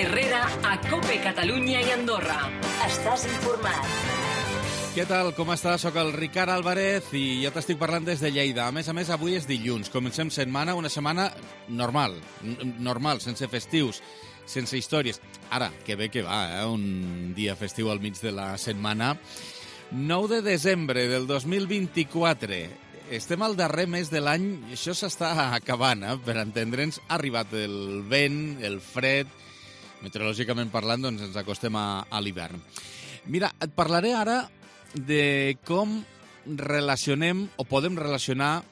Herrera a COPE Catalunya i Andorra. Estàs informat. Què tal? Com estàs? Soc el Ricard Álvarez i jo t'estic parlant des de Lleida. A més, avui és dilluns. Comencem setmana, una setmana normal, sense festius, sense històries. Ara, que bé que va, un dia festiu al mig de la setmana. 9 de desembre del 2024. Estem al darrer mes de l'any i això s'està acabant, per entendre'ns. Ha arribat el vent, el fred. Meteorològicament parlant, doncs ens acostem a l'hivern. Mira, et parlaré ara de com relacionem o podem relacionar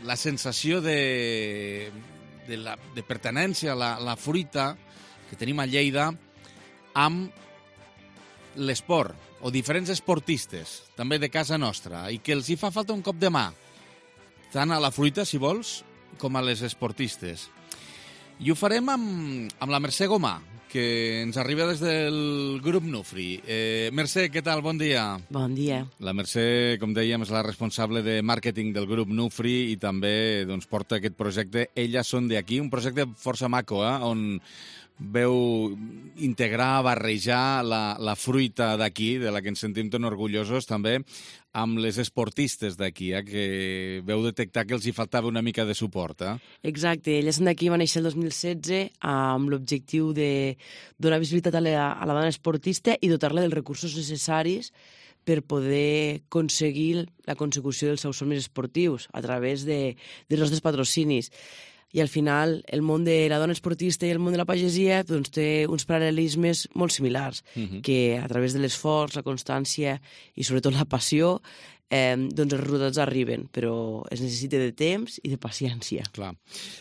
la sensació de pertinença a la fruita que tenim a Lleida amb l'esport o diferents esportistes, també de casa nostra, i que els hi fa falta un cop de mà, tant a la fruita, si vols, com a les esportistes. I ho farem amb la Mercè Gomà, que ens arriba des del grup Nufri. Mercè, què tal? Bon dia. Bon dia. La Mercè, com dèiem, és la responsable de màrqueting del grup Nufri i també porta aquest projecte Elles són d'aquí, un projecte força maco, on veu integrar, barrejar la fruita d'aquí, de la que ens sentim tan orgullosos també, amb les esportistes d'aquí, que veu detectar que els hi faltava una mica de suport. Exacte, Elles són d'aquí va néixer el 2016 amb l'objectiu de donar visibilitat a la dona esportista i dotar-la dels recursos necessaris per poder aconseguir la consecució dels seus somnis esportius a través dels nostres patrocinis. I al final el món de la dona esportista i el món de la pagesia té uns paral·lelismes molt similars, que a través de l'esforç, la constància i sobretot la passió, els resultats arriben, però es necessita de temps i de paciència. Clar.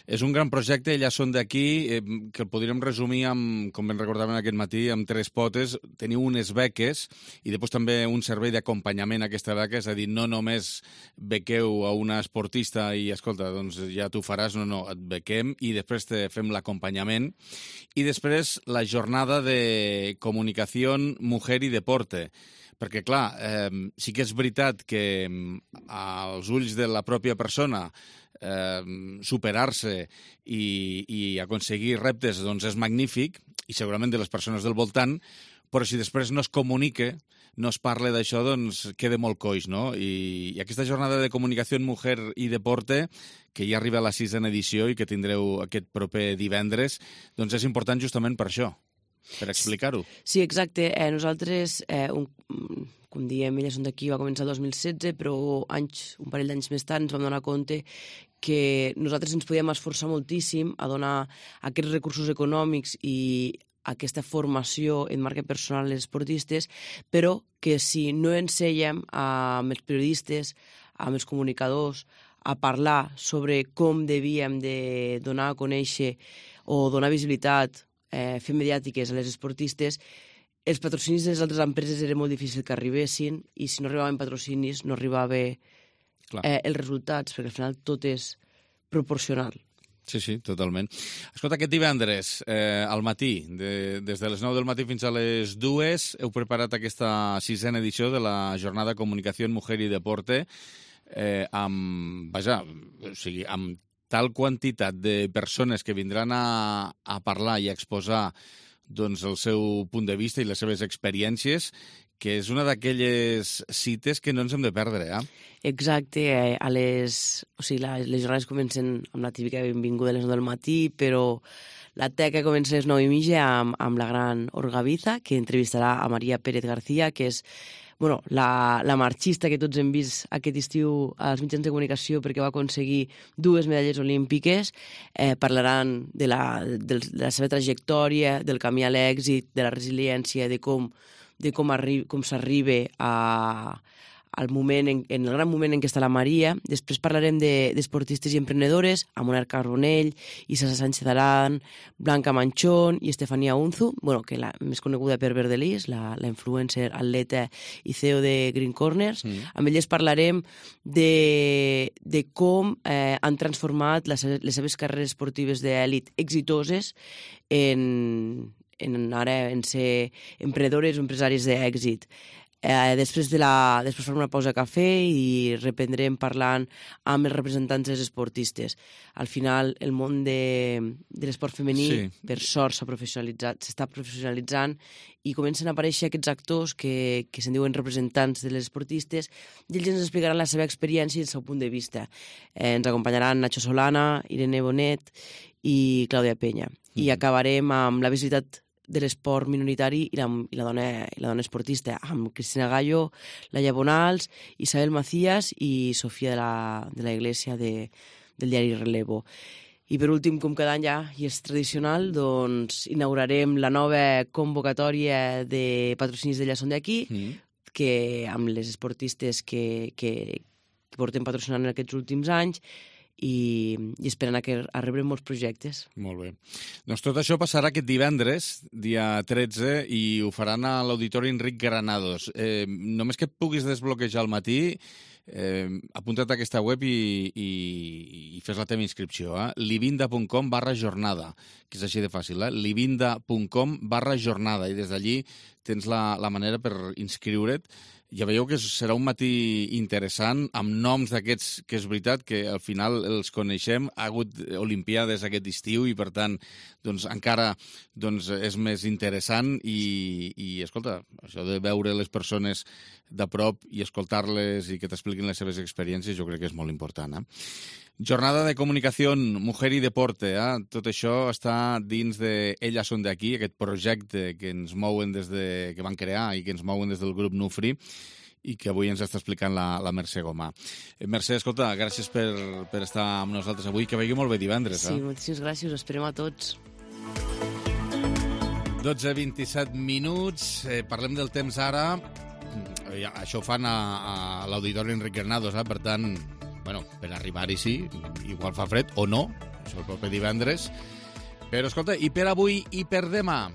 És un gran projecte, Elles són d'aquí, que el podríem resumir amb, com ben recordàvem aquest matí, amb 3 potes. Teniu unes beques i després també un servei d'acompanyament a aquesta beca, és a dir, no només bequeu a una esportista i, escolta, doncs ja t'ho faràs, no, et bequem i després te fem l'acompanyament. I després la jornada de comunicació, mujer i deporte. Perquè, clar, sí que és veritat que als ulls de la pròpia persona superar-se i aconseguir reptes és magnífic, i segurament de les persones del voltant, però si després no es comunica, no es parla d'això, queda molt coix, no? I aquesta jornada de comunicació en Mujer i Deporte, que ja arriba a la 6ª edició i que tindreu aquest proper divendres, és important justament per això. Per explicar-ho. Sí, exacte. Nosaltres, com diem, Elles són d'aquí, va començar el 2016, però un parell d'anys més tard ens vam donar compte que nosaltres ens podíem esforçar moltíssim a donar aquests recursos econòmics i aquesta formació en marca personal a les esportistes, però que si no ensenyem amb els periodistes, amb els comunicadors, a parlar sobre com devíem de donar a conèixer o donar visibilitat, fer mediàtiques a les esportistes, els patrocinis de les altres empreses era molt difícil que arribessin i si no arribaven patrocinis no arribava els resultats, perquè al final tot és proporcional. Sí, totalment. Escolta, aquest divendres, al matí, des de les 9 del matí fins a les 2, heu preparat aquesta 6ª edició de la jornada Comunicació en Mujer i Deporte amb tal quantitat de persones que vindran a parlar i a exposar el seu punt de vista i les seves experiències, que és una d'aquelles cites que no ens hem de perdre, Exacte. Les jornades comencen amb la típica benvinguda a les 9 del matí, però la teca comença a les 9:30 amb la gran Olga Viza, que entrevistarà a Maria Pérez García, que és la marxista que tots hem vist aquest estiu als mitjans de comunicació perquè va aconseguir 2 medalles olímpiques. Parlaran de la seva trajectòria, del camí a l'èxit, de la resiliència, de com s'arriba al moment, en el gran moment en què està la Maria. Després parlarem d'esportistes i emprenedores, amb Moner Carbonell, Isa Sánchez Aran, Blanca Manchón i Estefania Unzu, que la més coneguda per Verdelis, la influencer, atleta i CEO de Green Corners. Amb elles parlarem de com han transformat les seves carreres esportives d'èlit exitoses en ser emprenedores o empresaris d'èxit. Després farem una pausa de cafè i reprendrem parlant amb els representants dels esportistes. Al final, el món de l'esport femení, per sort, s'està professionalitzant i comencen a aparèixer aquests actors que se'n diuen representants de les esportistes i ells ens explicaran la seva experiència i el seu punt de vista. Ens acompanyaran Nacho Solana, Irene Bonet i Clàudia Penya. I acabarem amb la visibilitat de l'esport minoritari i la dona esportista, amb Cristina Gallo, Laia Bonals, Isabel Macías i Sofia de la Iglesia del diari Relevo. I per últim, com cada any ja, i és tradicional, doncs inaugurarem la nova convocatòria de patrocinis de Ja som d'aquí, que amb les esportistes que portem patrocinant en aquests últims anys, i esperant a rebre molts projectes. Molt bé. Doncs tot això passarà aquest divendres, dia 13, i ho faran a l'Auditori Enric Granados. Només que et puguis desbloquejar al matí, apunta't a aquesta web i fes la teva inscripció. livinda.com/jornada, que és així de fàcil. livinda.com/jornada, i des d'allí tens la manera per inscriure't. Ja veieu que serà un matí interessant, amb noms d'aquests que és veritat que al final els coneixem. Ha hagut olimpiades aquest estiu i, per tant, doncs, encara és més interessant i, escolta, això de veure les persones de prop i escoltar-les i que t'expliquin les seves experiències jo crec que és molt important. Jornada de Comunicació, Mujer i Deporte. Tot això està dins de Elles són d'aquí, aquest projecte que ens mouen que van crear i que ens mouen des del grup Nufri i que avui ens està explicant la Mercè Gomà. Mercè, escolta, gràcies per estar amb nosaltres avui. Que vegi molt bé divendres. Sí, moltíssimes gràcies. Us esperem a tots. 12:27 minuts. Parlem del temps ara. Això ho fan a l'Auditori Enric Granados, per tant, per arribar-hi sí, igual fa fred o no, això el proper divendres. Però, escolta, i per avui i per demà?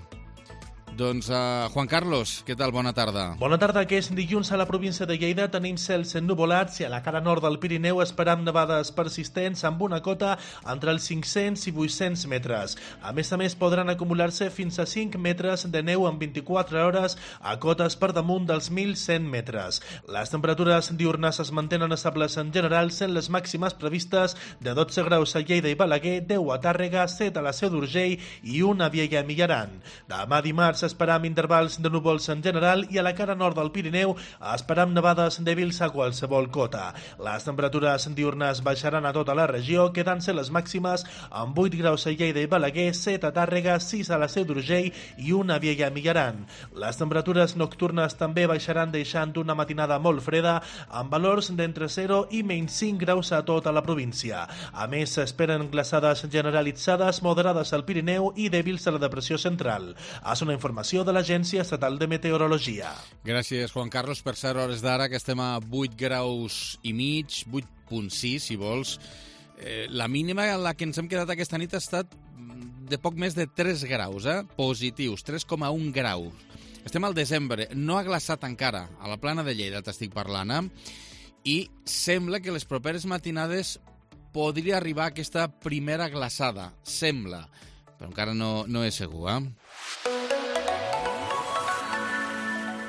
Doncs, Juan Carlos, què tal? Bona tarda. Bona tarda. Aquest dilluns a la província de Lleida tenim cels ennuvolats i a la cara nord del Pirineu esperam nevades persistents amb una cota entre els 500 i 800 metres. A més, podran acumular-se fins a 5 metres de neu en 24 hores a cotes per damunt dels 1.100 metres. Les temperatures diurnes es mantenen estables en general, sent les màximes previstes de 12 graus a Lleida i Balaguer, 10 a Tàrrega, 7 a la Seu d'Urgell i 1 a Viella i Millaran. Demà dimarts esperam intervals de núvols en general i a la cara nord del Pirineu esperam nevades dèbils a qualsevol cota. Les temperatures diurnes baixaran a tota la regió, quedant-se les màximes amb 8 graus a Lleida i Balaguer, 7 a Tàrrega, 6 a la Seu d'Urgell i 1 a Viella i Millaran. Les temperatures nocturnes també baixaran, deixant una matinada molt freda amb valors d'entre 0 i menys 5 graus a tota la província. A més, s'esperen glaçades generalitzades moderades al Pirineu i dèbils a la depressió central. És una informació de l'Agència Estatal de Meteorologia. Gràcies, Juan Carlos. Per ser hores d'ara, que estem a 8 graus i mig, 8,6, si vols. La mínima en la que ens hem quedat aquesta nit ha estat de poc més de 3 graus, positius, 3,1 graus. Estem al desembre, no ha glaçat encara. A la Plana de Lleida t'estic parlant, i sembla que les properes matinades podria arribar aquesta primera glaçada. Sembla, però encara no és segur,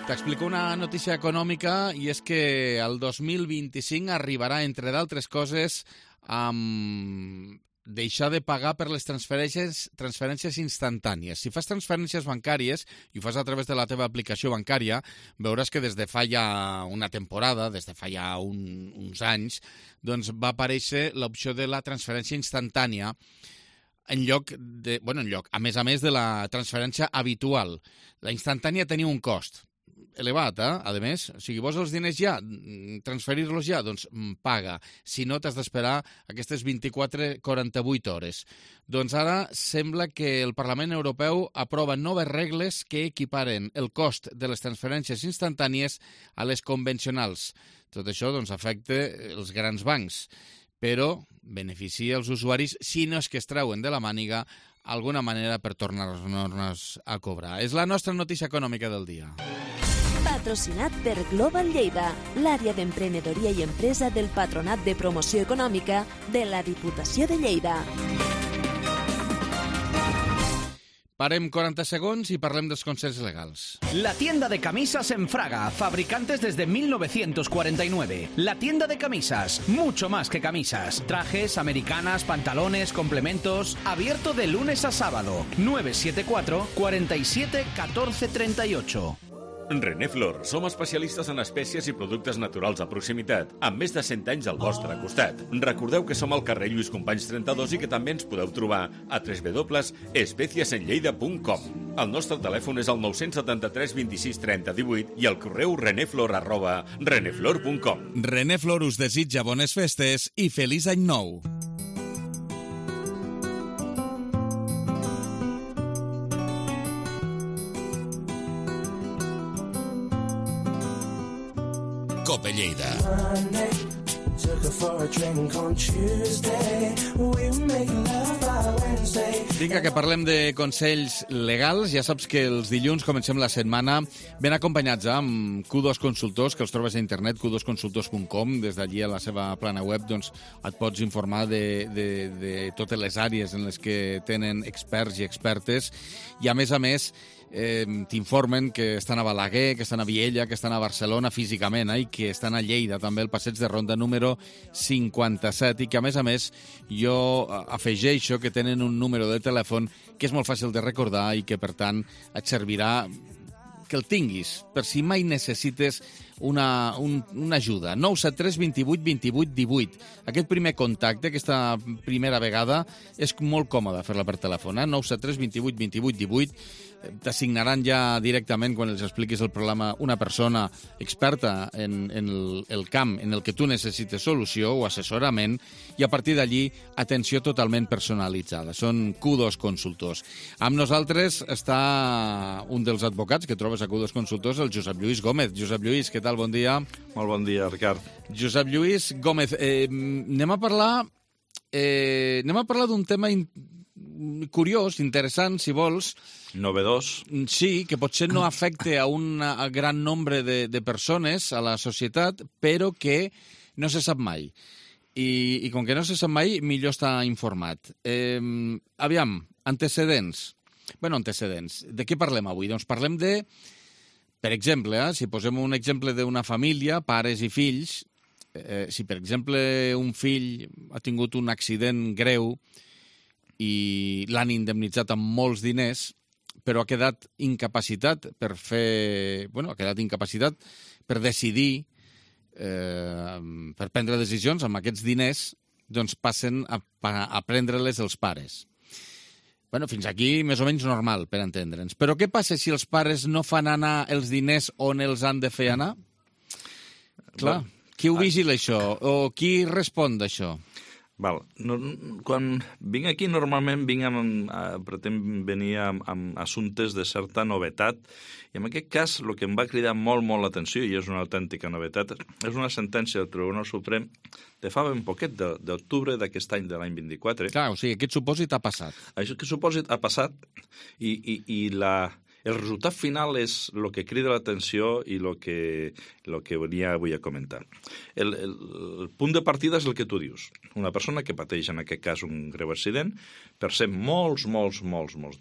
T'explico una notícia econòmica, i és que el 2025 arribarà, entre d'altres coses, amb deixar de pagar per les transferències instantànies. Si fas transferències bancàries i ho fas a través de la teva aplicació bancària, veuràs que des de fa ja una temporada, des de fa ja uns anys, doncs va aparèixer l'opció de la transferència instantània a més de la transferència habitual. La instantània tenia un cost elevat, a més. O sigui, vols els diners ja, transferir-los ja, doncs paga. Si no, t'has d'esperar aquestes 24-48 hores. Doncs ara sembla que el Parlament Europeu aprova noves regles que equiparen el cost de les transferències instantànies a les convencionals. Tot això doncs, afecta els grans bancs, però beneficia els usuaris si no és que es treuen de la màniga alguna manera per tornar-nos a cobrar. És la nostra notícia econòmica del dia. Patrocinat per Global Lleida, l'àrea d'emprenedoria i empresa del Patronat de Promoció Econòmica de la Diputació de Lleida. Parem 40 segons i parlem dels consells legals. La tienda de camisas en Fraga, fabricantes desde 1949. La tienda de camisas, mucho más que camisas. Trajes, americanas, pantalones, complementos. Abierto de lunes a sábado. 974 47 14 38. René Flor, som especialistes en espècies i productes naturals de proximitat, amb més de 100 anys al vostre costat. Recordeu que som al carrer Lluís Companys 32 i que també ens podeu trobar a www.especiesenlleida.com. El nostre telèfon és el 973 26 30 18 i el correu reneflor@reneflor.com. René Flor us desitja bones festes i feliç any nou. Cope Lleida. Vinga, que parlem de consells legals. Ja saps que els dilluns comencem la setmana ben acompanyats amb Q2 Consultors, que els trobes a internet, q2consultors.com. Des d'allí a la seva plana web doncs, et pots informar de totes les àrees en les que tenen experts i expertes. I a més, t'informen que estan a Balaguer, que estan a Viella, que estan a Barcelona físicament i que estan a Lleida, també al passeig de Ronda número 57, i que a més jo afegeixo que tenen un número de telèfon que és molt fàcil de recordar i que per tant et servirà que el tinguis per si mai necessites una ajuda. 973 28 28 18. Aquest primer contacte, aquesta primera vegada, és molt còmode fer-la per telèfon. 973 28 28 18. T'assignaran ja directament, quan els expliquis el problema, una persona experta en el camp en el que tu necessites solució o assessorament, i a partir d'allí atenció totalment personalitzada. Són Q2 Consultors. Amb nosaltres està un dels advocats que trobes a Q2 Consultors, el Josep Lluís Gómez. Josep Lluís, què tal? Bon dia. Molt bon dia, Ricard. Josep Lluís Gómez, anem a parlar d'un tema curiós, interessant, si vols. Novedós. Sí, que potser no afecta a un gran nombre de persones a la societat, però que no se sap mai. I com que no se sap mai, millor estar informat. Aviam, antecedents. De què parlem avui? Doncs parlem de, per exemple, si posem un exemple d'una família, pares i fills, si per exemple un fill ha tingut un accident greu i l'han indemnitzat amb molts diners, però ha quedat incapacitat per decidir, per prendre decisions amb aquests diners, doncs passen a prendre-les els pares. Fins aquí més o menys normal, per entendre'ns. Però què passa si els pares no fan anar els diners on els han de fer anar? Clar, qui ho vigila això? O qui respon d'això? Quan vinc aquí, normalment pretenc venir amb assumptes de certa novetat, i en aquest cas el que em va cridar molt l'atenció, i és una autèntica novetat, és una sentència del Tribunal Suprem de fa ben poquet, d'octubre d'aquest any, de l'any 24. Clar, o sigui, aquest supòsit ha passat. Aquest supòsit ha passat i el resultat final és el que crida l'atenció i el que venia avui a comentar. El punt de partida és el que tu dius. Una persona que pateix, en aquest cas, un greu accident, percep molts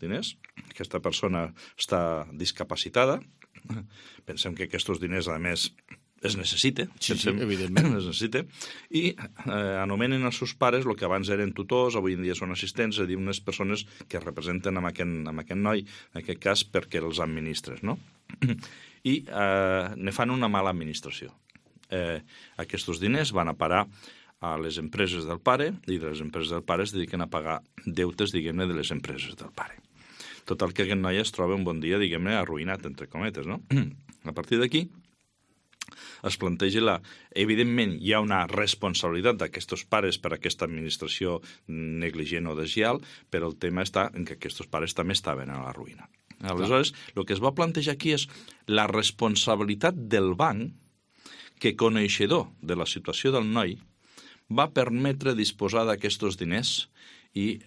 diners. Aquesta persona està discapacitada. Pensem que aquests diners, a més, es necessita. Sí, evidentment. Es necessita. I anomenen els seus pares, el que abans eren tutors, avui en dia són assistents, és a dir, unes persones que representen amb aquest noi, en aquest cas, perquè els administres, no? I ne fan una mala administració. Aquests diners van a parar a les empreses del pare, i les empreses del pare es dediquen a pagar deutes, diguem-ne, de les empreses del pare. Total, que aquest noi es troba un bon dia, diguem-ne, arruïnat, entre cometes, no? A partir d'aquí, es planteja evidentment hi ha una responsabilitat d'aquests pares per aquesta administració negligent o deslleial, però el tema està en que aquests pares també estaven a la ruïna. Aleshores, el que es va plantejar aquí és la responsabilitat del banc que, coneixedor de la situació del noi, va permetre disposar d'aquests diners i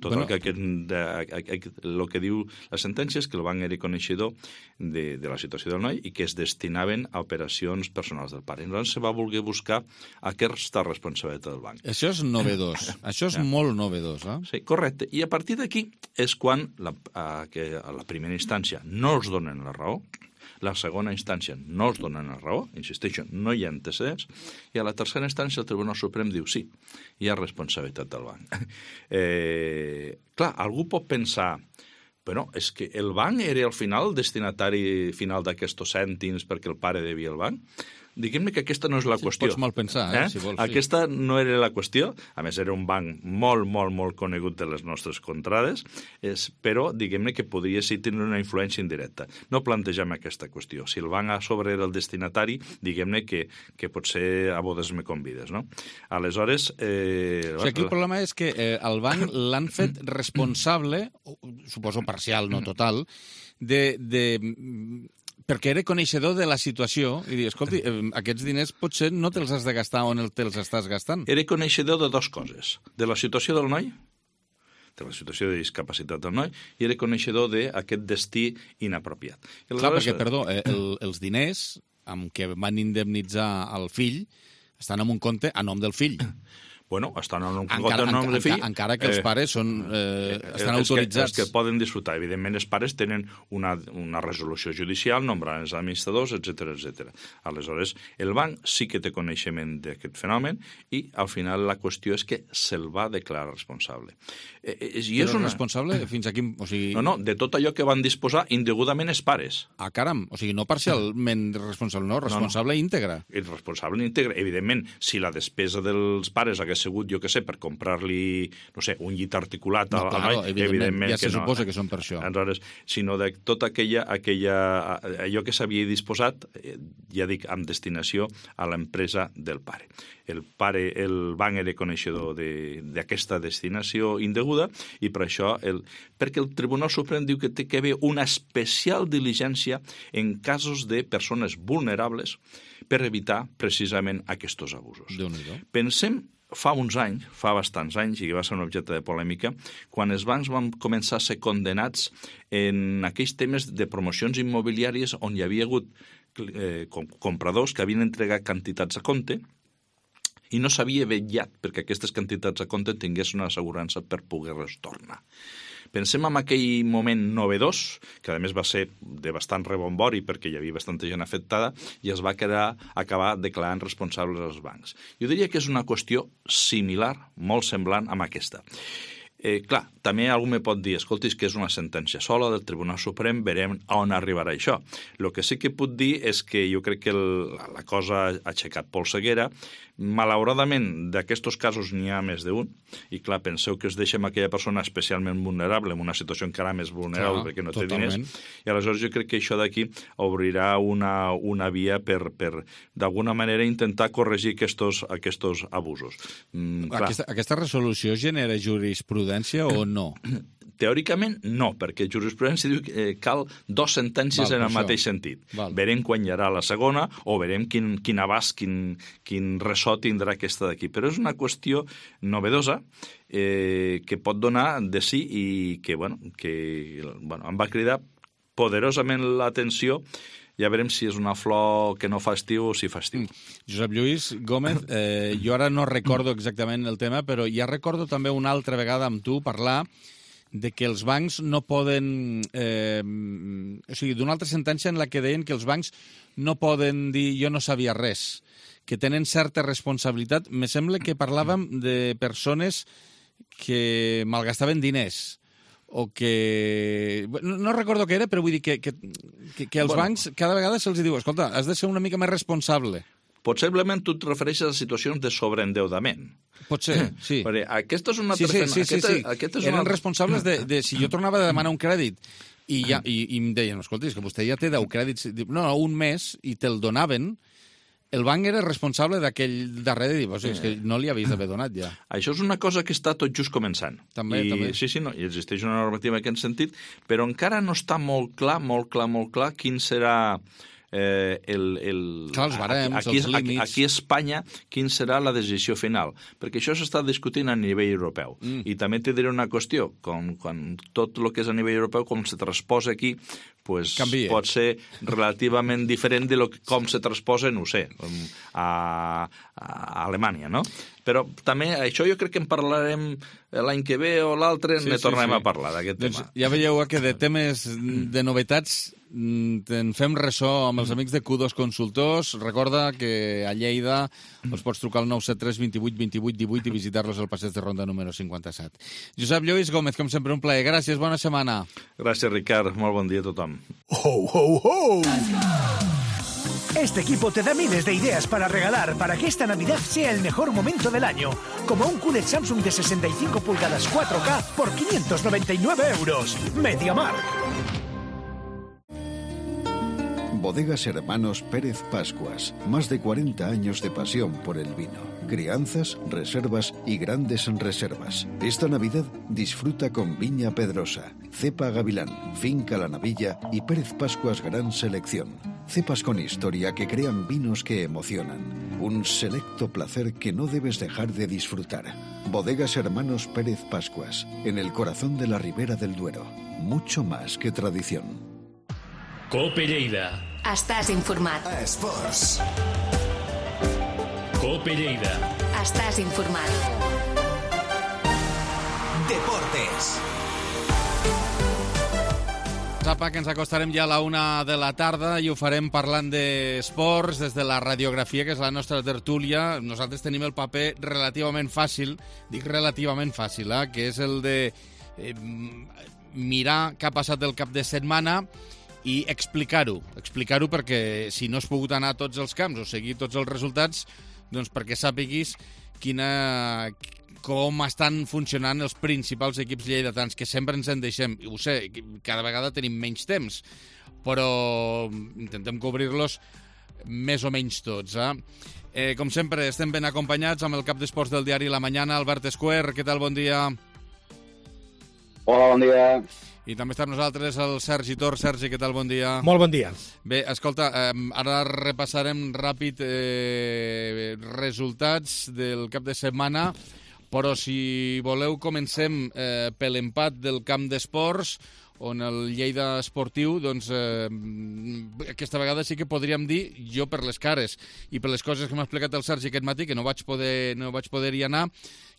tot el que diu la sentència és que el banc era coneixedor de la situació del noi i que es destinaven a operacions personals del pare. Llavors se va voler buscar aquesta responsabilitat del banc. Això és novedós. Això és molt novedós. Sí, correcte. I a partir d'aquí és quan a la primera instància no els donen la raó, la segona instància no els donen la raó, insisteixo, no hi ha antecedents, i a la tercera instància el Tribunal Suprem diu sí, hi ha responsabilitat del banc. Clar, algú pot pensar, però és que el banc era al final el destinatari final d'aquests cèntims perquè el pare devia al banc? Diguem-ne que aquesta no és la qüestió. Pots mal pensar, si vols. Aquesta no era la qüestió. A més, era un banc molt, molt, molt conegut de les nostres contrades, però diguem-ne que podria ser tenir una influència indirecta. No plantegem aquesta qüestió. Si el banc a sobre era el destinatari, diguem-ne que potser a bodes me convides, no? Aleshores... Aquí el problema és que el banc l'han fet responsable, suposo parcial, no total, perquè era coneixedor de la situació i dir, escolti, aquests diners potser no te'ls has de gastar on te'ls estàs gastant. Era coneixedor de dues coses, de la situació del noi, de la situació de discapacitat del noi, i era coneixedor d'aquest destí inapropiat. Clar, perquè, perdó, els diners amb què van indemnitzar el fill estan en un compte a nom del fill. Bueno, estan en un compte en nom de fill... Encara que els pares estan autoritzats. Els que poden disfrutar. Evidentment, els pares tenen una resolució judicial, nombrant els administradors, etc. Aleshores, el banc sí que té coneixement d'aquest fenomen i, al final, la qüestió és que se'l va declarar responsable. Però responsable fins aquí... No, de tot allò que van disposar indegudament els pares. Ah, caram, o sigui, no parcialment responsable, no, responsable íntegre. El responsable íntegre. Evidentment, si la despesa dels pares hagués sigut, jo què sé, per comprar-li, no sé, un llit articulat al noi, evidentment ja se suposa que són per això. Aleshores, sinó de tota allò que s'havia disposat, ja dic, amb destinació a l'empresa del pare. El banc era coneixedor d'aquesta destinació indeguda i per això, perquè el Tribunal Suprem diu que té que haver una especial diligència en casos de persones vulnerables per evitar precisament aquests abusos. Pensem fa bastants anys, i que va ser un objecte de polèmica, quan els bancs van començar a ser condenats en aquells temes de promocions immobiliàries on hi havia hagut compradors que havien entregat quantitats a compte i no s'havia vetllat perquè aquestes quantitats a compte tinguessin una assegurança per poder-les tornar. Pensem en aquell moment novedós, que a més va ser de bastant rebombori perquè hi havia bastanta gent afectada, i es va acabar declarant responsables als bancs. Jo diria que és una qüestió similar, molt semblant amb aquesta. Clar, també algú me pot dir, escolti, que és una sentència sola del Tribunal Suprem, verem on arribarà això. El que sí que puc dir és que jo crec que la cosa ha aixecat polseguera. Malauradament, d'aquests casos n'hi ha més d'un, i clar, penseu que es deixa amb aquella persona especialment vulnerable, en una situació encara més vulnerable perquè no té diners, i aleshores jo crec que això d'aquí obrirà una via per d'alguna manera intentar corregir aquests abusos. Aquesta resolució genera jurisprudència o no? Teòricament, no, perquè jurisprudència diu que cal dues sentències en el mateix sentit. Verem quan hi haurà la segona o verem quin abast, quin ressò tindrà aquesta d'aquí. Però és una qüestió novedosa que pot donar de sí i que em va cridar poderosament l'atenció. Ja veurem si és una flor que no fa estiu o si fa estiu. Josep Lluís Gómez, jo ara no recordo exactament el tema, però ja recordo també una altra vegada amb tu parlar de que els bancs no poden... o sigui, d'una altra sentència en la que deien que els bancs no poden dir jo no sabia res, que tenen certa responsabilitat. Me sembla que parlàvem de persones que malgastaven diners o que... No recordo què era, però vull dir que els bancs cada vegada se'ls diu escolta, has de ser una mica més responsable. Possiblement tu et refereixes a situacions de sobreendeudament. Pot ser, sí. Perquè aquesta és una... Sí. Eren responsables de si jo tornava a demanar un crèdit i em deien, escolta, és que vostè ja té 10 crèdits, no, un mes, i te'l donaven, el banc era responsable d'aquell darrere i dir, és que no li havies d'haver donat ja. Això és una cosa que està tot just començant. També. Sí, no, i existeix una normativa en aquest sentit, però encara no està molt clar quin serà els barems, els límits. Aquí a Espanya, quin serà la decisió final? Perquè això s'està discutint a nivell europeu. I també te diré una qüestió, quan tot el que és a nivell europeu, com se transposa aquí, pues pot ser relativament diferent de com se transposa, no ho sé, a Alemanya, no? Però també, això jo crec que en parlarem l'any que ve o l'altre, ne tornarem a parlar d'aquest tema. Ja veieu que de temes, de novetats, en fem ressò amb els amics de Q2 Consultors. Recorda que a Lleida els pots trucar al 973 28 28 18 i visitar-los al passeig de Ronda número 57. Josep Lluís Gómez, com sempre, un plaer. Gràcies, bona setmana. Gràcies, Ricard. Molt bon dia a tothom. ¡Ho, ho, ho! Este equipo te da miles de ideas para regalar para que esta Navidad sea el mejor momento del año. Como un QLED Samsung de 65 pulgadas 4K por 599 euros. MediaMarkt. Bodegas Hermanos Pérez Pascuas. Más de 40 años de pasión por el vino. Crianzas, reservas y grandes reservas. Esta Navidad disfruta con Viña Pedrosa, Cepa Gavilán, Finca La Navilla y Pérez Pascuas Gran Selección. Cepas con historia que crean vinos que emocionan. Un selecto placer que no debes dejar de disfrutar. Bodegas Hermanos Pérez Pascuas, en el corazón de la Ribera del Duero. Mucho más que tradición. Cope Lleida. Estàs informat. Esports. Cope Lleida. Estàs informat. Deportes. Sapa que ens acostarem ja a la 1 de la tarda i ho farem parlant d'esports des de la radiografia, que és la nostra tertúlia. Nosaltres tenim el paper relativament fàcil, dic relativament fàcil, que és el de mirar què ha passat el cap de setmana i explicar-ho perquè si no has pogut anar a tots els camps o seguir tots els resultats, doncs perquè sàpiguis com estan funcionant els principals equips lleidatans, que sempre ens en deixem. Ho sé, cada vegada tenim menys temps, però intentem cobrir-los més o menys tots. Com sempre, estem ben acompanyats amb el cap d'esports del diari La Mañana, Albert Esquer. Què tal? Bon dia. Hola, bon dia. I també està amb nosaltres el Sergi Tor. Sergi, què tal? Bon dia. Molt bon dia. Bé, escolta, ara repassarem ràpid resultats del cap de setmana, però si voleu comencem per l'empat del camp d'esports, on el Lleida Esportiu, doncs, aquesta vegada sí que podríem dir, jo per les cares i per les coses que m'ha explicat el Sergi aquest matí, que no vaig poder-hi anar,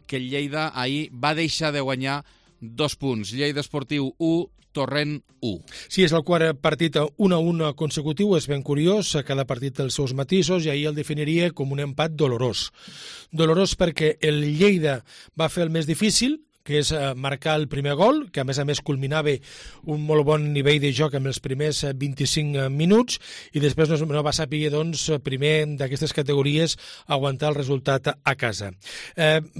que el Lleida ahir va deixar de guanyar 2 punts. Lleida Esportiu 1, Torrent 1. Sí, és el quart partit 1-1 consecutiu, és ben curiós, cada partit té els seus matisos, i ahir el definiria com un empat dolorós. Dolorós perquè el Lleida va fer el més difícil, que és marcar el primer gol, que a més culminava un molt bon nivell de joc amb els primers 25 minuts, i després no va saber, doncs, primer d'aquestes categories aguantar el resultat a casa.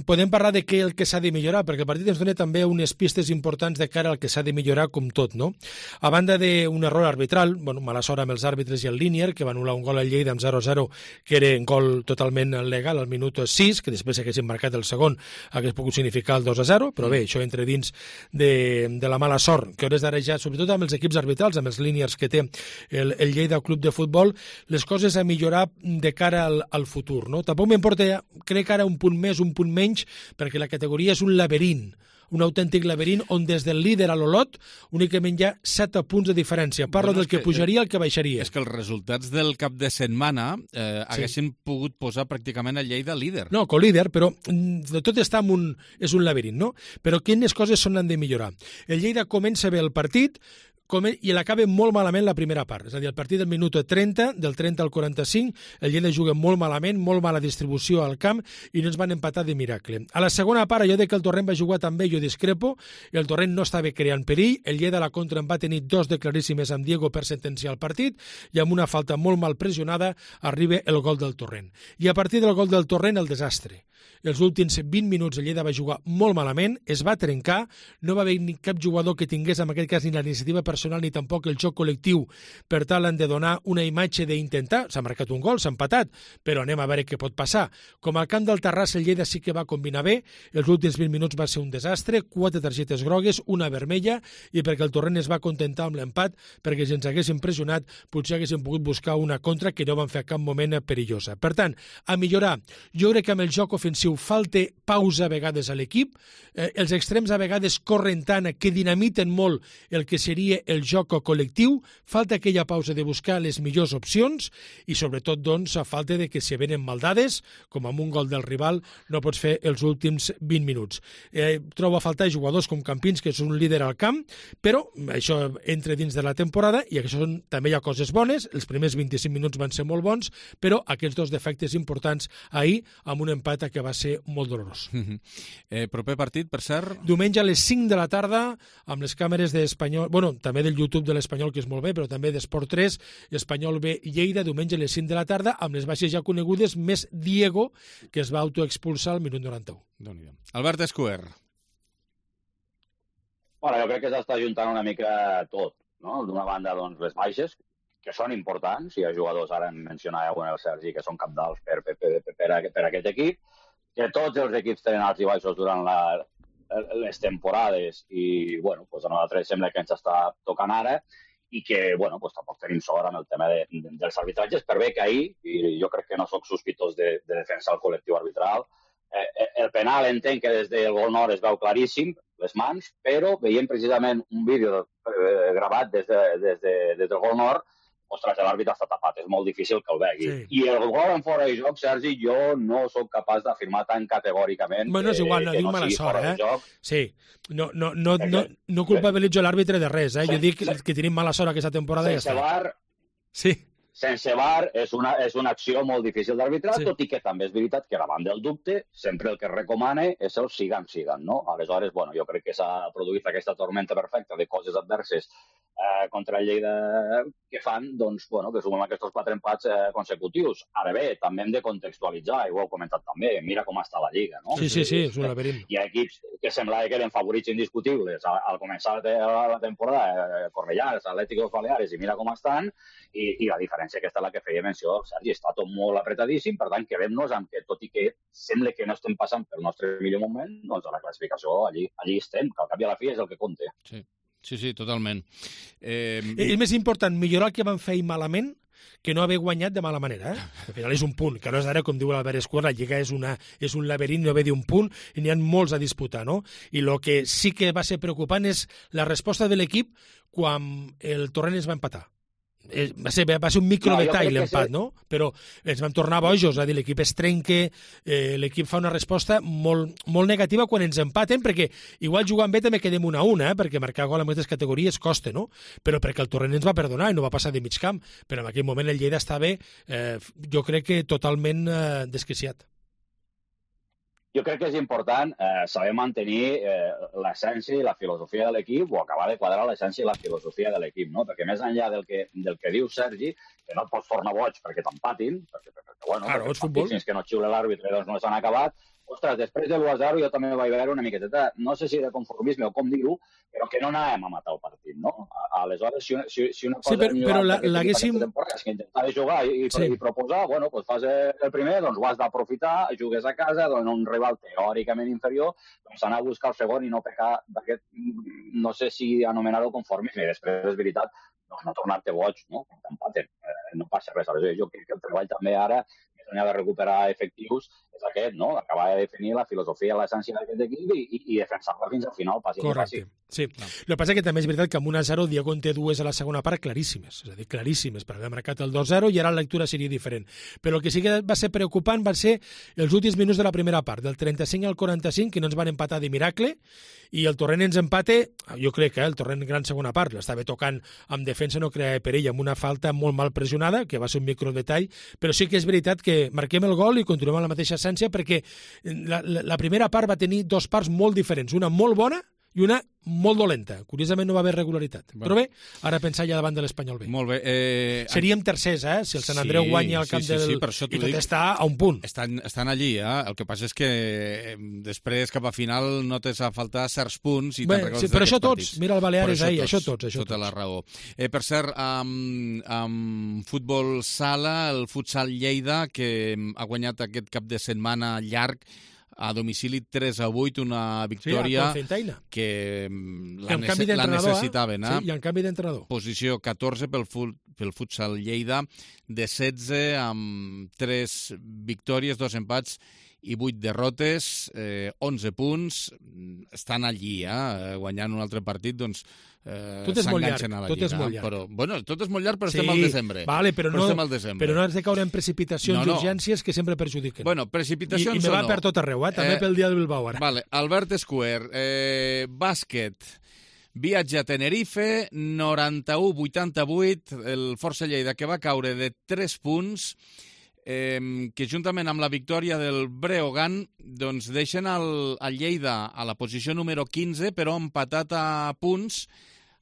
Podem parlar de què el que s'ha de millorar, perquè el partit ens dona també unes pistes importants de cara al que s'ha de millorar com tot, no? A banda d'un error arbitral, mala sort amb els àrbitres i el línier, que va anul·lar un gol al Lleida amb 0-0, que era un gol totalment legal al minut 6, que després haguessin marcat el segon, hagués pogut significar el 2-0, però bé, això entra dins de la mala sort, que hores d'ara ja, sobretot amb els equips arbitrals, amb els líniers que té el Lleida Club de Futbol, les coses a millorar de cara al futur, no? Tampoc m'importa, crec ara, un punt més, un punt menys, perquè la categoria és un laberint, un autèntic laberint on des del líder a l'Olot únicament hi ha 7 punts de diferència. Parlo del que pujaria al que baixaria. És que els resultats del cap de setmana haguessin pogut posar pràcticament el Lleida líder. No, co-líder, però de tot està és un laberint, no? Però quines coses han de millorar? El Lleida comença bé el partit, i l'acaba molt malament la primera part. És a dir, el partit del minut 30, del 30 al 45, el Lleida juga molt malament, molt mala distribució al camp, i no ens van empatar de miracle. A la segona part, allò de que el Torrent va jugar també, jo discrepo, el Torrent no estava creant perill, el Lleida a la contra en va tenir 2 de claríssimes amb Diego per sentenciar el partit, i amb una falta molt mal pressionada arriba el gol del Torrent. I a partir del gol del Torrent, el desastre. Els últims 20 minuts el Lleida va jugar molt malament, es va trencar, no va haver ni cap jugador que tingués en aquest cas ni la iniciativa per personal ni tampoc el joc col·lectiu per tal han de donar una imatge d'intentar. S'ha marcat un gol, s'ha empatat, però anem a veure què pot passar. Com al camp del Terrassa, el Lleida sí que va combinar bé. Els últims 20 minuts va ser un desastre, 4 targetes grogues, una vermella, i perquè el Torrent es va contentar amb l'empat, perquè si ens haguessin pressionat potser haguessin pogut buscar una contra que no van fer a cap moment perillosa. Per tant, a millorar. Jo crec que amb el joc ofensiu falta pausa a vegades a l'equip, els extrems a vegades corren tant que dinamiten molt el que seria el joc col·lectiu, falta aquella pausa de buscar les millors opcions i sobretot doncs a falta de que si venen maldades, com amb un gol del rival, no pots fer els últims 20 minuts. Trobo a faltar jugadors com Campins, que és un líder al camp, però això entra dins de la temporada i això també hi ha coses bones, els primers 25 minuts van ser molt bons, però aquests dos defectes importants ahir amb un empat que va ser molt dolorós. Proper partit, per cert? Diumenge a les 5 de la tarda, amb les càmeres d'Espanyol, també del YouTube de l'Espanyol, que és molt bé, però també d'Esport 3, Espanyol B Lleida, diumenge a les 5 de la tarda, amb les baixes ja conegudes, més Diego, que es va autoexpulsar al minut 91. Albert Escuer. Bueno, jo crec que s'està ajuntant una mica tot, no? D'una banda, doncs, les baixes, que són importants, hi ha jugadors, ara en mencionàveu el Sergi, que són capdals per aquest equip, que tots els equips tenen alts i baixos durant les temporades i, bueno, doncs a nosaltres sembla que ens està tocant ara i que, bueno, doncs tampoc tenim sort amb el tema dels arbitratges, per bé que ahir, i jo crec que no soc sospitós de defensar el col·lectiu arbitral, el penal entenc que des del gol nord es veu claríssim, les mans, però veiem precisament un vídeo gravat des del gol nord. Ostres, l'àrbitre està tapat, és molt difícil que el vegi. Sí. I el gol en fora de joc, Sergi, jo no sóc capaç d'afirmar tan categòricament bueno, és igual, no dic mala sort, Sí, no culpabilitzo l'àrbitre de res, Jo dic que tenim mala sort aquesta temporada i ja està. Sense VAR, sí. Sense VAR és una acció molt difícil d'arbitrar, tot i que també és veritat que davant del dubte sempre el que es recomana és el siguen, no? Aleshores, bueno, jo crec que s'ha produït aquesta tormenta perfecta de coses adverses contra el Lleida que fan, doncs, bueno, que sumem aquests 4 empats consecutius. Ara bé, també hem de contextualitzar, i ho heu comentat també, mira com està la Lliga, no? Sí, és un laberint. Hi ha equips que semblava que eren favorits indiscutibles al començar la temporada, Cornellà, Atlético Baleares, i mira com estan, i la diferència aquesta és la que feia menció, Sergi, està tot molt apretadíssim, per tant, quedem-nos amb que, tot i que sembla que no estem passant pel nostre millor moment, doncs a la classificació allí estem, que al cap i a la fi és el que compta. Sí, totalment. És més important millorar el que van fer malament que no haver guanyat de mala manera. Al final és un punt, que no és ara, com diu l'Albert Escuer, la Lliga és un laberint, no ve d'un punt, i n'hi ha molts a disputar, no? I el que sí que va ser preocupant és la resposta de l'equip quan el Torrent es va empatar. Va ser un microdetall l'empat, no? Però ens vam tornar bojos, és a dir, l'equip es trenca, l'equip fa una resposta molt negativa quan ens empaten, perquè igual jugant bé també quedem 1-1, perquè marcar gol en aquestes categories costa, no? Però perquè el Torrent ens va perdonar i no va passar de mig camp, però en aquell moment el Lleida estava, jo crec que totalment desquiciat. Jo crec que és important saber mantenir l'essència i la filosofia de l'equip o acabar de quadrar l'essència i la filosofia de l'equip, no? Perquè més enllà del que diu Sergi, que no et pots tornar boig perquè t'empatin, perquè fins que no xiula l'àrbitre doncs no s'han acabat. Ostres, després de l'1-0 jo també vaig veure una miqueteta, no sé si de conformisme o com dir-ho, però que no anàvem a matar el partit, no? Aleshores, si una cosa... Sí, però l'haguéssim... És que intentar jugar i proposar, bueno, doncs fas el primer, doncs ho has d'aprofitar, jugues a casa, doncs un rival teòricament inferior, doncs anar a buscar el segon i no pecar d'aquest, no sé si anomenar-ho conformisme, i després és veritat, doncs no tornar-te boig, no? Quan t'empaten, no passa res. Aleshores, jo crec que el treball també ara, més enllà de recuperar efectius, és aquest, no? Acabar de definir la filosofia, l'essència d'aquest equip i defensar-la fins al final, passi. Correcte, sí. El que passa és que també és veritat que amb 1-0 Diego en té 2 a la segona part claríssimes, és a dir, claríssimes, per haver marcat el 2-0 i ara la lectura seria diferent. Però el que sí que va ser preocupant van ser els últims minuts de la primera part, del 35 al 45, que no ens van empatar de miracle, i el Torrent ens empate, jo crec que el Torrent gran segona part, l'estava tocant amb defensa, no creava perill, amb una falta molt mal pressionada, que va ser un microdetall, però sí que és veritat que marquem el gol i continuem amb la mateixa essència perquè la primera part va tenir 2 parts molt diferents, una molt bona i una molt dolenta. Curiosament no va haver regularitat. Però bé, ara pensar ja davant de l'Espanyol B. Molt bé. Seríem tercers, si el Sant Andreu guanya al camp del... Sí, per això i tot està a un punt. Estan allí, El que passa és que després, cap a final, no t'has a faltar certs punts i te'n recordes però això tots. partits. Mira el Baleares ahir, això tots. Tota la raó. Per cert, amb futbol sala, el Futsal Lleida, que ha guanyat aquest cap de setmana llarg, a domicili 3-8, una victòria que la necessitaven. Sí, i en canvi d'entrenador. Posició 14 pel Futsal Lleida, de 16 amb 3 victòries, 2 empats i 8 derrotes, 11 punts. Estan allí, guanyant un altre partit, doncs tot és molt llarg, tot és molt llarg. Però, bueno, tot és molt llarg, però estem al desembre. Vale, però no has de caure en precipitacions i urgències que sempre perjudiquen. Bueno, precipitacions I me va per tot arreu, també pel dia del Bilbao ara. Vale, Albert Square, bàsquet, viatge a Tenerife, 91-88, el Força Lleida que va caure de 3 punts, que juntament amb la victòria del Breogán doncs deixen el Lleida a la posició número 15, però empatat a punts,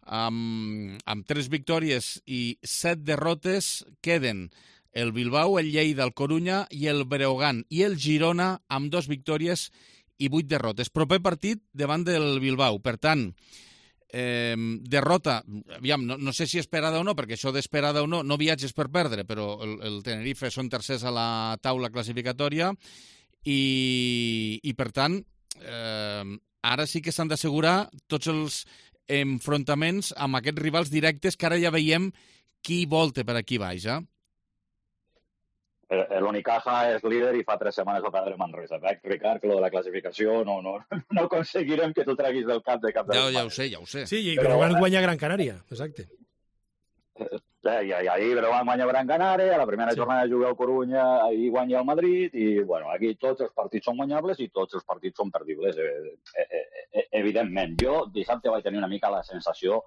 amb 3 victòries i 7 derrotes. Queden el Bilbao, el Lleida, el Corunya i el Breogán i el Girona amb 2 victòries i 8 derrotes. Proper partit davant del Bilbao. Per tant, derrota, aviam, no sé si esperada o no, perquè això d'esperada o no viatges per perdre, però el Tenerife són tercers a la taula classificatòria i per tant, ara sí que s'han d'assegurar tots els enfrontaments amb aquests rivals directes que ara ja veiem qui volta per aquí baix, L'Unicaja és líder i fa 3 setmanes va perdre Manresa. Ricard, que lo de la classificació no aconseguirem que tu treguis del cap de cap de ja ho sé. Sí, però van guanyar Gran Canària, exacte. I ahir van guanyar Gran Canària, a la primera jornada juga el Corunya, ahir guanya el Madrid, i bueno, aquí tots els partits són guanyables i tots els partits són perdibles, evidentment. Jo dissabte vaig tenir una mica la sensació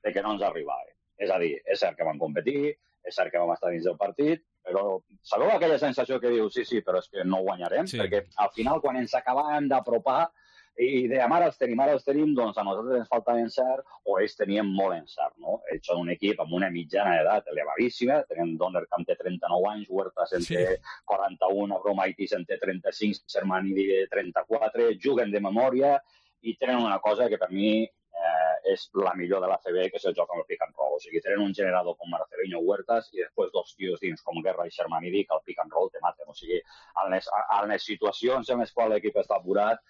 de que no ens arribava. És a dir, és cert que vam competir, és cert que vam estar dins del partit, però sabeu aquella sensació que dius, sí, però és que no guanyarem? Sí. Perquè al final, quan ens acabàvem d'apropar i dèiem, ara els tenim, doncs a nosaltres ens falta encert o ells tenien molt encert, no? Ells són un equip amb una mitjana d'edat elevadíssima, tenen Donnerkamp té 39 anys, Huertas en té 41, Abromaitis en té 35, Sermanidi de 34, juguen de memòria i tenen una cosa que per mi és la millor de l'ACB, que és el joc amb el pick and roll. O sigui, tenen un generador com Marcelinho Huertas i després 2 tios dins com Guerra i Sermanidi que el pick and roll te maten. O sigui, en les situacions en les quals l'equip està apurat,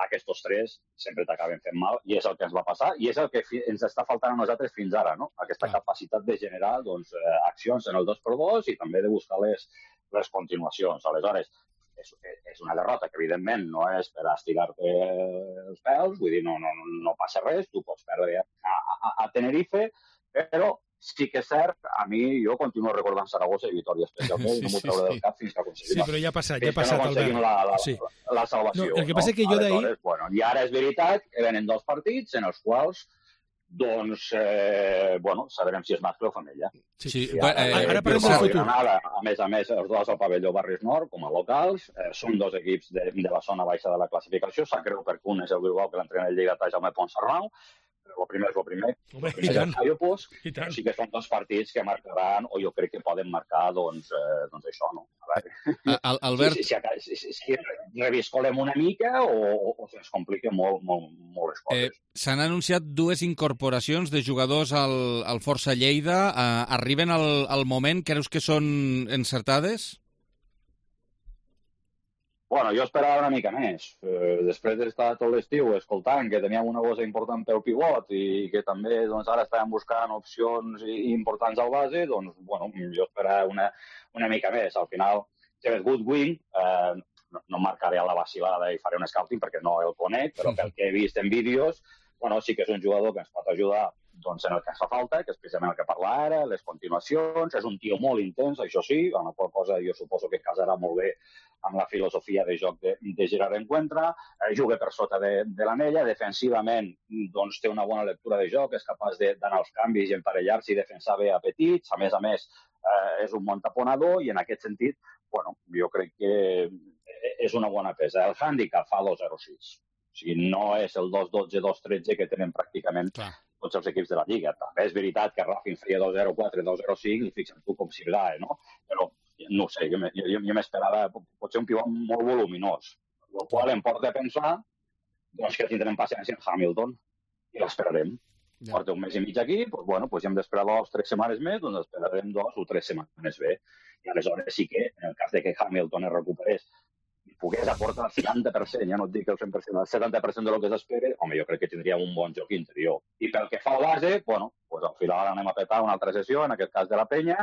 aquests 3 sempre t'acaben fent mal i és el que ens va passar i és el que ens està faltant a nosaltres fins ara, no? Aquesta capacitat de generar accions en el 2x2 i també de buscar les continuacions. Aleshores, és una derrota que, evidentment, no és per estirar-te els pèls, vull dir, no passa res, tu pots perdre a Tenerife, però sí que és cert, a mi, jo continuo recordant Saragossa i Vitòria especialment, no m'ho trauré del cap fins que aconseguim. Sí, però ja ha passat, Albert. La salvació. El que passa és que jo d'ahir... I ara és veritat que venen 2 partits en els quals doncs, sabrem si és mascle o femella. Sí. Ara parlem del futur. A més, els 2 al pavelló Barris Nord, com a locals, són 2 equips de la zona baixa de la classificació. Sap greu perquè un és el Bilbao, que l'entrena el Lleidatà, Jaume Ponsarnau, el primer és el primer. I tant. Sí que són 2 partits que marcaran, o jo crec que poden marcar, doncs això, no? A veure, Albert... si reviscolem una mica o se'ns compliquen molt les coses. S'han anunciat 2 incorporacions de jugadors al Força Lleida. Arriben al moment, creus que són encertades? Bueno, jo esperava una mica més. Després d'estar tot l'estiu escoltant que teníem una bossa important pel pivot i que també ara estàvem buscant opcions importants al base, doncs, jo esperava una mica més. Al final, James Goodwin, no marcaré a la vacilada i faré un scouting perquè no el conec, però pel que he vist en vídeos, sí que és un jugador que ens pot ajudar en el que ens fa falta, que és precisament el que parla ara, les continuacions, és un tio molt intens, això sí, amb la qual cosa jo suposo que casarà molt bé amb la filosofia de joc de Gerard Encuentra, juga per sota de l'anella, defensivament té una bona lectura de joc, és capaç d'anar als canvis i emparellar-se i defensar bé a petits, a més, és un bon taponador i en aquest sentit, jo crec que és una bona peça. El hàndicap fa 2-0-6. O sigui, no és el 2-12, 2-13 que tenen pràcticament tots els equips de la Lliga. També és veritat que Racing feia 2-0-4, 2-0-5 i fixa't tu com Sirgae, no? Però, no sé, jo m'esperava potser un pivot molt voluminós, el qual em porta a pensar doncs, que tindrem paciència en Hamilton i l'esperarem. Porta un mes i mig aquí, doncs, bueno, doncs ja hem d'esperar 2 o 3 setmanes més, doncs esperarem 2 o 3 setmanes bé. I aleshores sí que, en el cas de que Hamilton es recuperés i pogués aportar el 70%, ja no et dic el 100%, el 70% de lo que s'espera, home, jo crec que tindríem un bon joc interior. I pel que fa a base, bueno, doncs al final anem a petar una altra sessió, en aquest cas de la Penya,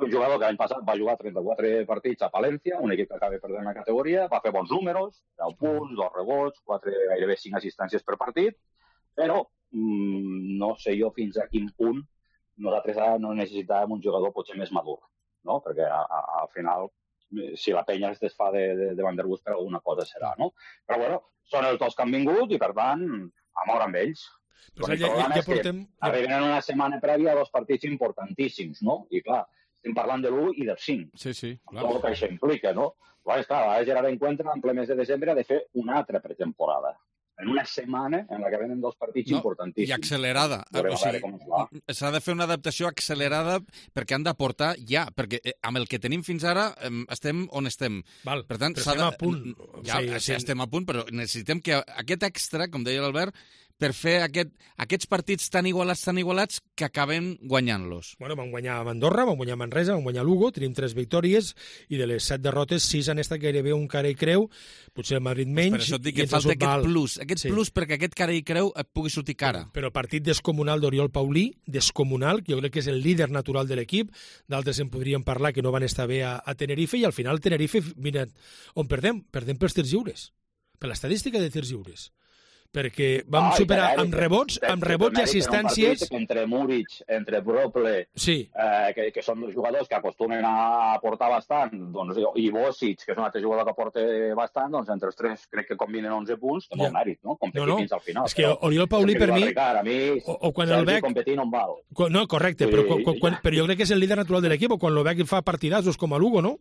un jugador que l'any passat va jugar 34 partits a Palència, un equip que acaba perdent la categoria, va fer bons números, 10 punts, 2 rebots, gairebé 5 assistències per partit, però no sé jo fins a quin punt nosaltres no necessitàvem un jugador potser més madur, no? Perquè al final, si la Penya es desfà de Van der Bus per alguna cosa serà, no? Però bueno, són els dos que han vingut i per tant, a moure amb ells. El problema és que arriben en una setmana prèvia a 2 partits importantíssims, no? I clar, estem parlant de l'1 i del 5. Sí, clar. Tot el que això implica, no? Clar, a Gerard Encuentra, en ple mes de desembre, ha de fer una altra pretemporada. En una setmana en la que venen 2 partits importantíssims. I accelerada. O sigui, s'ha de fer una adaptació accelerada perquè han d'aportar ja, perquè amb el que tenim fins ara estem on estem. Val, per tant, però estem a punt. Ja, estem a punt, però necessitem que aquest extra, com deia l'Albert, per fer aquests partits tan igualats que acaben guanyant-los. Bueno, vam guanyar a Andorra, vam guanyar a Manresa, vam guanyar a Lugo, tenim 3 victòries i de les 7 derrotes, 6 han estat gairebé un cara i creu, potser el Madrid menys. Per això et dic que falta aquest plus perquè aquest cara i creu et pugui sortir cara. Però partit descomunal d'Oriol Paulí, descomunal, jo crec que és el líder natural de l'equip, d'altres en podríem parlar que no van estar bé a Tenerife, i al final Tenerife, mira, on perdem? Perdem pels tirs lliures, per l'estadística de tirs lliures. Perquè vam superar amb rebots i assistències... Entre Múrich, entre Brople, que són dos jugadors que acostumen a aportar bastant, i Bosic, que és un altre jugador que aporta bastant, doncs entre els 3 crec que combinen 11 punts, té molt mèrit, no? Competir fins al final. És que Oriol Paulí, per mi... O quan el veig... competir no em val. No, correcte, però jo crec que és el líder natural de l'equip, o quan el veig fa partidassos com a Lugo, no?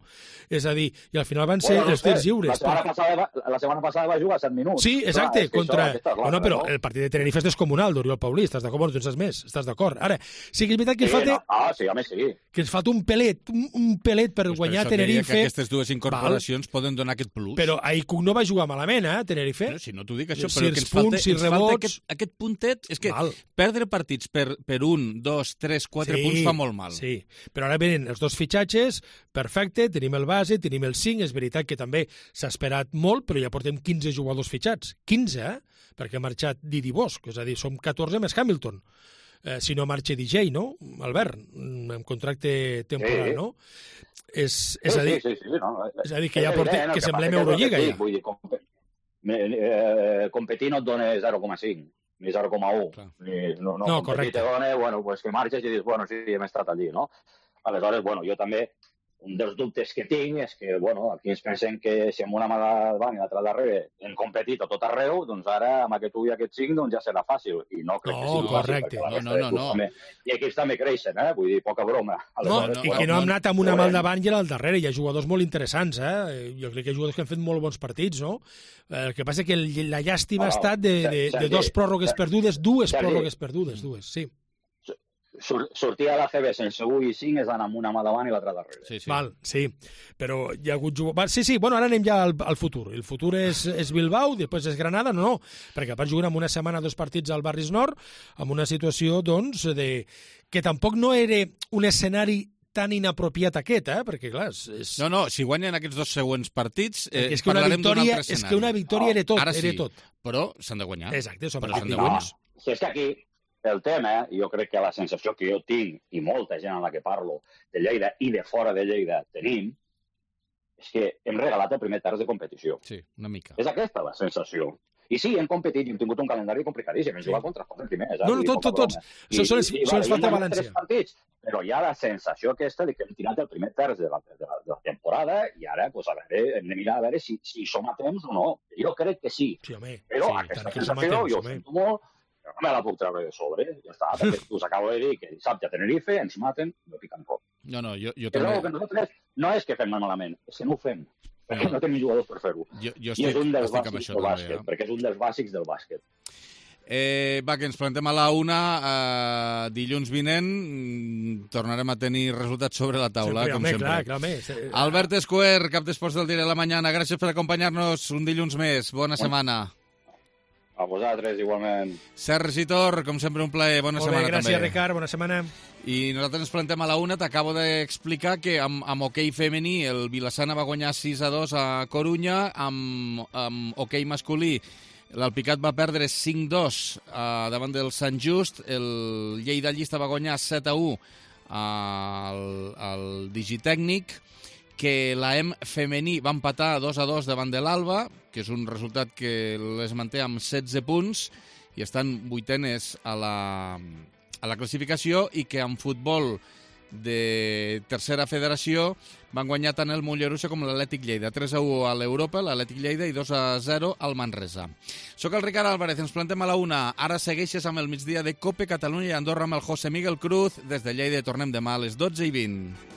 És a dir, i al final van ser els tirs lliures. La setmana passada va jugar 7 minuts. Sí, exacte, contra... No, però el partit de Tenerife és descomunal, d'Oriol Paulí, estàs d'acord? No tens més, estàs d'acord. Ara, sí que és veritat que ens falta un pelet per guanyar Tenerife. Que aquestes 2 incorporacions poden donar aquest plus. Però Aicuk no va jugar malament, Tenerife. Si no t'ho dic, això, però que ens falta aquest puntet, és que perdre partits per 1, 2, 3, 4 punts fa molt mal. Sí, però ara venen els 2 fitxatges, perfecte, tenim el base, tenim el 5, és veritat que també s'ha esperat molt, però ja portem 15 jugadors fitxats. 15, perquè ha marxat Didi Bosch, és a dir, som 14 més Hamilton. Si no marxa DJ, no, Albert? Amb contracte temporal, no? És a dir, que ja portem, que semblem Eurolliga, ja. Vull dir, competir no et dona 0,5 ni 0,1. No, correcte. Te dona, bueno, pues que marxes i dius, bueno, sí, hem estat allí, no? Aleshores, bueno, jo també... Un dels dubtes que tinc és que, bueno, aquí ens pensem que si amb una mà davant i l'altra darrere hem competit a tot arreu, doncs ara amb aquest 1 i aquest 5 doncs ja serà fàcil. I no crec que sigui correcte. fàcil. No. I equips també creixen, vull dir, poca broma. I que no hem anat amb una mà al davant i al darrere. Hi ha jugadors molt interessants, Jo crec que hi ha jugadors que han fet molt bons partits, no? El que passa és que la llàstima ha estat de 2 pròrrogues perdudes, 2 pròrrogues perdudes, 2, sí. Sortir a la CB sense 1 i 5 és anar amb una mà davant i l'altra darrere. Val, sí, però hi ha hagut jugadors... Sí, bueno, ara anem ja al futur. El futur és Bilbao, després és Granada, no, perquè van jugar en una setmana 2 partits al Barris Nord, amb una situació, doncs, que tampoc no era un escenari tan inapropiat aquest, perquè clar... No, si guanyen aquests 2 següents partits, parlarem d'un altre escenari. És que una victòria era tot, era tot. Però s'han de guanyar. Exacte, però s'han de guanyar. Si és que aquí... El tema, jo crec que la sensació que jo tinc, i molta gent amb la que parlo, de Lleida i de fora de Lleida tenim, és que hem regalat el primer terç de competició. Sí, una mica. És aquesta la sensació. I sí, hem competit i hem tingut un calendari complicadíssim. Hem jugat contra els primers. No, tots. Són els falta València. Però hi ha la sensació aquesta de que hem tirat el primer terç de la temporada i ara hem de mirar a veure si som a temps o no. Jo crec que sí. Però aquesta sensació, jo ho sento molt, no me la puc treure de sobre, ja està, perquè us acabo de dir que dissabte a Tenerife ens maten, no piquen cop. No, jo també... Però que nosaltres no és que fem malament, és que no ho fem. perquè no tenim jugadors per fer-ho. Jo I és un dels estic amb bàsics això del també, bàsquet, perquè és un dels bàsics del bàsquet. Va, que ens plantem a la 1. Dilluns vinent tornarem a tenir resultats sobre la taula, com sempre. Clar. Albert Escuer, cap d'esports del Diari de la Mañana, gràcies per acompanyar-nos un dilluns més. Bona setmana. A vosaltres, igualment. Sergi Tor, com sempre, un plaer. Bona setmana, gràcies, també. Ricard, bona setmana. I nosaltres ens plantem a la 1. T'acabo d'explicar que amb hoquei femení el Vilassana va guanyar 6-2 a Corunya, amb hoquei masculí l'Alpicat va perdre 5-2 davant del Sant Just, el Lleida Llista va guanyar 7-1 al Digitècnic, que l'AEM femení va empatar 2-2 davant de l'Alba, que és un resultat que les manté amb 16 punts i estan vuitenes a la classificació, i que en futbol de tercera federació van guanyar tant el Mollerussa com l'Atlètic Lleida. 3-1 a l'Europa, l'Atlètic Lleida, i 2-0 al Manresa. Soc el Ricard Álvarez, ens plantem a la 1. Ara segueixes amb el migdia de COPE Catalunya i Andorra amb el José Miguel Cruz. Des de Lleida tornem demà a les 12:20.